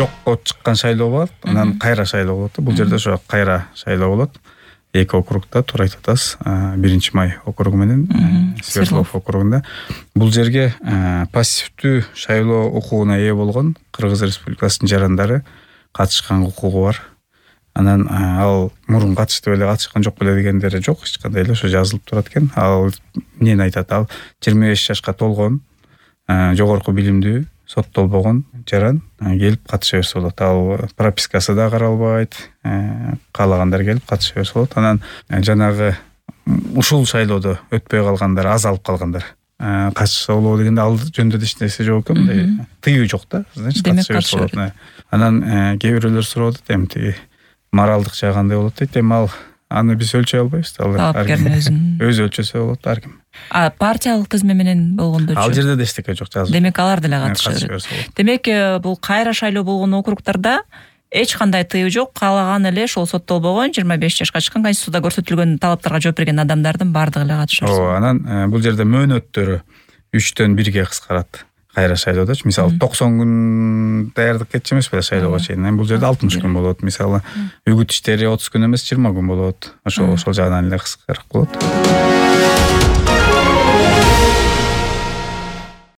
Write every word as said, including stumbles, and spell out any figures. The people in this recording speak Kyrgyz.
жокко чыккан шайлоо болот, анан кайра шайлоо болот. Бул жерде ошо кайра шайлоо болот. Эки округда туура айтып атасыз. биринчи май округу менен Свердлов округунда. Бул жерге пассивдүү шайлоо укугуна ээ болгон Кыргыз Республикасынын жарандары катышкан укугу бар. Анан ал мурун катышты беле, катышкан жок беле дегендери жок, эч кандай эле ошо жазылып турат экен. Ал эмнени айтат? Ал жыйырма беш жашка толгон, жогорку билимдүү, соттолбогон жаран келип катыша берсе болот. Ал пропискасы да каралбайт, каалагандар келип катыша берсе болот. Анан жанагы ушул шайлоодо өтпөй калгандар, азалып калгандар катышса болобу дегенде ал жөнүндө эч нерсе жок экен, мындай тыюу жок да. Значит, катыша берсе болот. Анан кээ бирөөлөр сурап атат, эми тиги моралдык жагы кандай болот дейт. Эми ал аны биз өлчөй албайбыз. Ал өзү өлчөсө болот, ар ким. А партиялык тизме менен болгондочу? Ал жерде да эчтеке жок жазылып. Демек алар деле катыша берет. Демек бул кайра шайлоо болгон округдарда эч кандай тыюу жок, каалаган эле ошол соттолбогон жыйырма беш жашка чыккан, конституцияда көрсөтүлгөн талаптарга жооп берген адамдардын баардыгы эле катыша берет. Ооба, анан бул жерде мөөнөттөрү үчтөн бирге кыскарат. Кайра шайлоодочу мисалы токсон күн даярдык кетчү эмес беле шайлоого чейин. Эми бул жерде алтымыш күн болот. Мисалы үгүт иштери отуз күн эмес жыйырма күн болот. Ошол ошол жагынан эле кыскараак болот.